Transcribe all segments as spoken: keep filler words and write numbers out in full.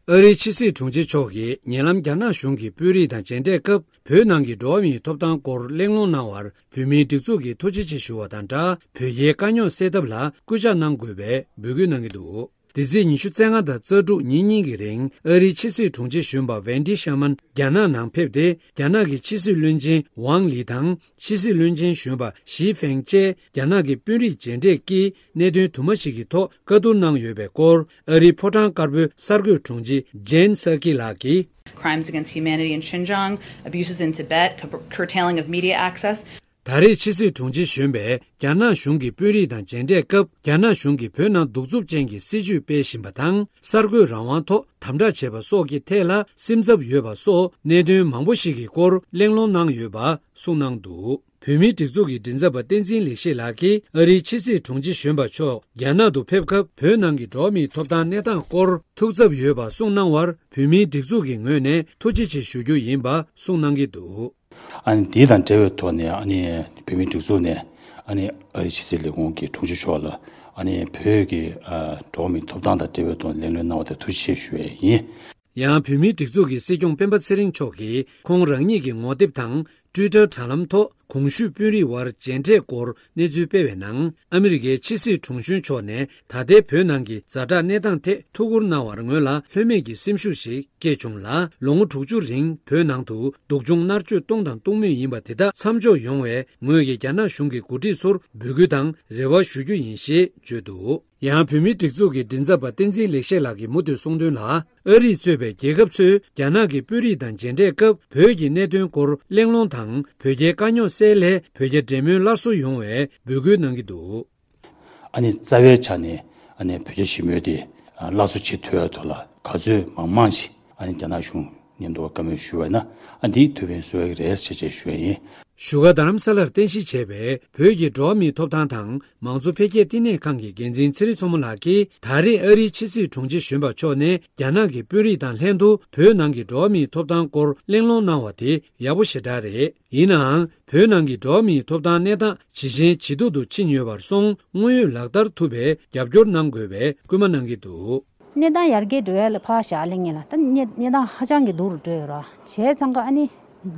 ཨ་རིའི་ཕྱི་སྲིད་དྲུང་ཆེ་མཆོག་གིས་ཉེ་ལམ་རྒྱ་ནག་གཞུང་གི་དཔོན་རིགས་དང་མཇལ་འཕྲད་སྐབས། བོད་ནང་གི་འགྲོ་བ་མིའི་ཐོབ་ཐང་སྐོར་གླེང་སློང་གནང་བར་བོད་མིའི་སྒྲིག་འཛུགས་ཀྱིས་ཐུགས་རྗེ་ཆེ་ཞུ་བ་དང་སྦྲགས། བོད་རྒྱའི་དཀའ་རྙོག་སེལ་ཐབས་ལ་སྐུལ་ལྕག་གནང་དགོས་པའི་འབོད་སྐུལ་གནང་གི་འདུག། འདི་ཚེས་ཉི་ཤུ་རྩ་ལྔ་དང་རྩ་དྲུག་ཉིན་གཉིས་ཀྱི་རིང་ཨ་རིའི་ཕྱི་སྲིད་དྲུང་ཆེ་གཞོན་པ་ཝེན་ཌི་ཤར་མན་རྒྱ་ནག་ནང་ཕེབས་ཏེ། རྒྱ་ནག་གི་ཕྱི་སྲིད་བློན་ཆེན་ཝང་ལི་དང་། ཕྱི་སྲིད་བློན་ཆེན་གཞོན་པ་ཞི་ཧྥེང་བཅས་རྒྱ་ནག་གི་དཔོན་རིགས་མཇལ་འཕྲད་ཀྱིས། གནད་དོན་དུ་མ་ཞིག་གི་ཐོག་བཀའ་བསྡུར་གནང་ཡོད་པའི་སྐོར། ཨ་རིའི་ཕོ་བྲང་དཀར་པོའི་གསར་འགོད་དྲུང་ཆེ་ཇེན་སཱ་ཀི་ལགས་ཀྱིས། Crimes against humanity in Xinjiang, abuses in Tibet, cur- curtailing of media access. ད་རེས་ཕྱི་སྲིད་དྲུང་ཆེ་གཞོན་པས་རྒྱ་ནག་གཞུང་གི་དཔོན་རིགས་དང་མཇལ་འཕྲད་སྐབས། རྒྱ་ནག་གཞུང་གིས་བོད་ནང་གདུག་རྩུབ་ཅན་གྱི་སྲིད་བྱུས་སྤེལ་བཞིན་པ་དང་། གསར་འགོད་རང་དབང་ཐོག་དམ་དྲག་བྱས་པ་སོགས་ཀྱི་ཐད་ལ་སེམས་འཚབ་ཡོད་པ་སོགས་གནད་དོན་མང་པོ་ཞིག་གི་སྐོར་གླེང་སློང་གནང་ཡོད་པ་གསུངས་གནང་འདུག། བོད་མིའི་སྒྲིག་འཛུགས་ཀྱི་མགྲིན་ཚབ་པ་བསྟན་འཛིན་ལེགས་བཤད་ལགས་ཀྱིས། ཨ་རིའི་ཕྱི་སྲིད་དྲུང་ཆེ་གཞོན་པ་མཆོག་རྒྱ་ནག་ཏུ་ཕེབས་སྐབས། བོད་ནང་གི་འགྲོ་བ་མིའི་ཐོབ་ཐང་གནས་སྟངས་སྐོར་ཐུགས་འཚབ་ཡོད་པ་གསུངས་གནང་བར། བོད་མིའི་སྒྲིག་འཛུགས་ཀྱི་ངོས་ནས་ཐུགས་རྗེ་ཆེ་ཞུ་རྒྱུ་ཡིན་པ་གསུངས་གནང་གི་འདུག། ཨ་ནི་འདི་དང་འབྲེལ་བའི་ཐོག་ནས། ཨ་ནི་བོད་མིའི་སྒྲིག་འཛུགས་ནས། ཨ་ནི་ཨ་རིའི་ཕྱི་སྲིད་ལས་ཁུངས་ཀྱི་དྲུང་ཆེ་མཆོག་ལ། ཨ་ནི་བོད་ཀྱི་ཨ་འགྲོ་བ་མིའི་ཐོབ་ཐང་དང་འབྲེལ་བའི་ཐོག་ནས་གླེང་སློང་གནང་བ་དེ་ཐུགས་རྗེ་ཆེ་ཞུ་ཡས་ཡིན། ཡང་། བོད་མིའི་སྒྲིག་འཛུགས་ཀྱི་སྲིད་སྐྱོང་སྤེན་པ་ཚེ་རིང་མཆོག་གིས། ཁོང་རང་ཉིད་ཀྱི་ངོ་དེབ་དང་། ཊུའི་ཊར་དྲ་ལམ་ཐོག་གོང་ཞུས་དཔོན་རིགས་དབར་མཇལ་འཕྲད་སྐོར་གནས་ཚུལ་སྤེལ་བའི་ནང་། ཨ་མི་རི་ཀའི་ཕྱི་སྲིད་དྲུང་གཞོན་མཆོག་ནས་ད་ལྟའི་བོད་ནང་གི་ཛ་དྲག་གནས་སྟངས་ཐད་ཐུགས་ཁུར་གནང་བར་ངོས་ལ་ལྷོད་མེད་ཀྱི་སེམས་ཤུགས་ཤིག་སྐྱེས་བྱུང་ལ། ལོ་ངོ་དྲུག་ཅུ་རིང་བོད་ནང་དུ་སྡུག་སྦྱོང་མནར་གཅོད་གཏོང་དང་གཏོང་མུས་ཡིན་པ་དེ་དག་མཚམས་འཇོག་ཡོང་བའི་ངོས་ཀྱི་རྒྱ་ནག་གཞུང་གི་འགོ་ཁྲིད་ཚོར་འབོད་སྐུལ་དང་རེ་བ་ཞུ་རྒྱུ་ཡིན་ཞེས་བརྗོད་འདུག། ཡང་། བོད་མིའི་སྒྲིག་འཛུགས་ཀྱི་མགྲིན་ཚབ་པ་བསྟན་འཛིན་ལེགས་བཤད་ལགས་ཀྱིས་མུ་མཐུད་གསུངས་དོན་ལ། ཨ་རིས་གཙོས་པའི་རྒྱལ་ཁབ་ཚོས་རྒྱ་ནག་གི་དཔོན་རིགས་དང་མཇལ་འཕྲད་སྐབས། བོད་ཀྱི་གནད་དོན་སྐོར་གླེང་སློང་དང་། བོད་རྒྱའི་དཀའ་རྙོག་སེལ་སླད་བོད་རྒྱ་འབྲེལ་མོལ་སླར་གསོ་ཡོང་བའི་འབོད་སྐུལ་གནང་གི་འདུག། ཨ་ནི་རྩ་བའི་ཆ་ནས། ཨ་ནི་བོད་རྒྱ་ཞི་མོལ་དེ་སླར་གསོ་བྱེད་ཐུབ་ཡ་ཐོག་ལ་ག་ཚོད་མང་མང་ཞིག་ཨ་ནི་རྒྱ་ནག་གཞུང་མཉམ་དུ་བཀའ་མོལ་ཞུས་པ་ཡིན་ན། ཨ་འདིས་ཐུགས་ཕན་གསོས་ཡ་གི་རེད་ཟེར་བྱས་ཞུ་ཡ་ཡིན། བཞུགས་སྒར་རྡ་རམ་ས་ལར་རྟེན་གཞི་བྱས་པའི་བོད་ཀྱི་འགྲོ་བ་མིའི་ཐོབ་ཐང་དང་མང་གཙོ་འཕེལ་རྒྱས་བསྟི་གནས་ཁང་གི་འགན་འཛིན་ཚེ་རིང་མཚོ་མོ་ལགས་ཀྱིས། ད་རེས་ཨ་རིའི་ཕྱི་སྲིད་དྲུང་ཆེ་གཞོན་པ་མཆོག་ནས་རྒྱ་ནག་གི་དཔོན་རིགས་དང་ལྷན་དུ་བོད་ནང་གི་འགྲོ་བ་མིའི་ཐོབ་ཐང་སྐོར་གླེང་སློང་གནང་བ་དེ་ཡག་པོ་ཞེ་དྲག་རེད། ཡིན་ནའང་། བོད་ནང་གི་འགྲོ་བ་མིའི་ཐོབ་ཐང་གནས་སྟངས་ཇེ་ཞན་ཇེ་སྡུག་ཏུ་ཕྱིན་ཡོད་པར་སོང་། དངོས་ཡོད་ལག་བསྟར་ཐུབ་པའི་རྒྱབ་སྐྱོར་གནང་དགོས་པའི་སྐུལ་མ་གནང་གི་འདུག། གནས་སྟངས་ཡར་རྒྱས་འགྲོ་ཡ་ལ་ཕར་བཞག་ལེ་ངེས་ལ། ད་གནས་གནས་སྟངས་ཧ་ཅང་གི་སྡུག་རུ་འགྲོ་ཡོད་ར། བྱས་ཙང་ཀ་ཨ་ནི་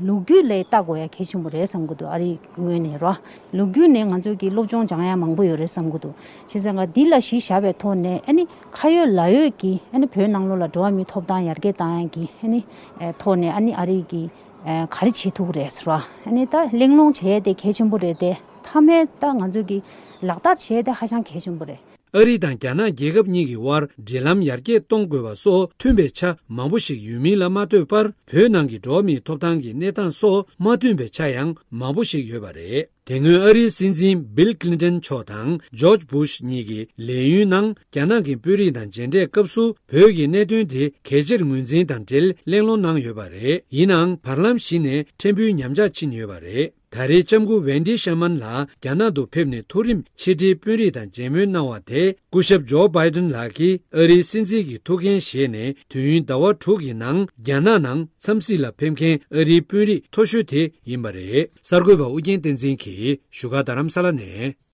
ལོ་རྒྱུས་ལ་ལྟ་དགོས་ཡ་གལ་ཆེན་པོ་རེད་བསམ་གི་འདུག། ཨ་རིའི་ངོས་ནས་ར། ལོ་རྒྱུས་ནས་ང་ཚོ་གི་སློབ་སྦྱོང་སྦྱང་ཡ་མང་པོ་ཡོད་རེད་བསམ་གི་འདུག། བྱས་ཙང་ཀ་འདི་ལ་གཞི་བཞག་པའི་ཐོག་ནས། ཨ་ནི་ཁ་ཡོད་ལག་ཡོད་ཀྱི། ཨ་ནི་བོད་ནང་ལོགས་ལ་འགྲོ་བ་མིའི་ཐོབ་ཐང་ཡར་རྒྱས་བཏང་ཡ་གི། ཨ་ནི་ཨེ་ཐོག་ནས། ཨ་ནི་ཨ་རི་གི་ཨེ་ག་རེ་བྱེད་ཐུབ་ཀྱི་རེད་ཟེར་བ། ཨ་ནི་ད་གླེང་སློང་བྱེད་ཡ་དེ་གལ་ཆེན་པོ་རེད་དེ། མཐའ་མའི་ད་ང་ཚོ་གི་ལག་བསྟར་བྱེད་ཡ་དེ་ཧ་ཅང་གལ་ཆེན་པོ་རེད། ཨ་རི་དང་རྒྱ་ནག་རྒྱལ་ཁབ་གཉིས་ཀྱི་དབར་འབྲེལ་ལམ་ཡར་རྒྱས་གཏོང་དགོས་པ་སོགས་མཐུན་པའི་ཆ་མང་པོ་ཞིག་ཡོད་མིན་ལ་མ་ལྟོས་པར། བོད་ནང་གི་འགྲོ་བ་མིའི་ཐོབ་ཐང་གི་གནས་སྟངས་སོགས་མ་མཐུན་པའི་ཆ་ཡང་མང་པོ་ཞིག་ཡོད་པ་རེད། དེ་སྔོན་ཨ་རིའི་སྲིད་འཛིན་བིལ་ཀླིན་ཏོན་མཆོག་དང་ཇོརྗ་བྷུཤ་གཉིས་ཀྱི་ལས་ཡུན་ནང་། རྒྱ་ནག་གི་དཔོན་རིགས་དང་མཇལ་འཕྲད་སྐབས་སུ། བོད་ཀྱི་གནད་དོན་དེ་གལ་ཆེར་ངོས་འཛིན་དང་འབྲེལ་གླེང་སློང་གནང་ཡོད་པ་རེད། ཡིན་ནའང་། བར་ལམ་ཞིག་ནས་ཕྲན་བུ་ཉམས་ཆག་ཕྱིན་ཡོད་པ་རེད། ད་རེས་ལྕམ་སྐུ་ཝེན་ཌི་ཤར་མན་ལགས་རྒྱ་ནག་ཏུ་ཕེབས་ནས་མཐོ་རིམ་ཕྱི་དྲིལ་དཔོན་རིགས་དང་མཇལ་མོལ་གནང་བ་དེ། སྐུ་ཞབས་ཇོ་བྷའི་ཏན་ལགས་ཀྱིས་ཨ་རིའི་སྲིད་འཛིན་གྱི་ཐུགས་འགན་བཞེས་ནས་དུས་ཡུན་ཟླ་བ་དྲུག་གི་ནང་རྒྱ་ནག་ནང་འཚམས་གཟིགས་ལ་ཕེབས་མཁན་ཨ་རིའི་དཔོན་རིགས་མཐོ་ཤོས་དེ་ཡིན་པ་རེད། གསར་འགོད་པ་ཨུ་རྒྱན་བསྟན་འཛིན་གྱིས་བཞུགས་སྒར་རྡ་རམ་ས་ལ་ནས།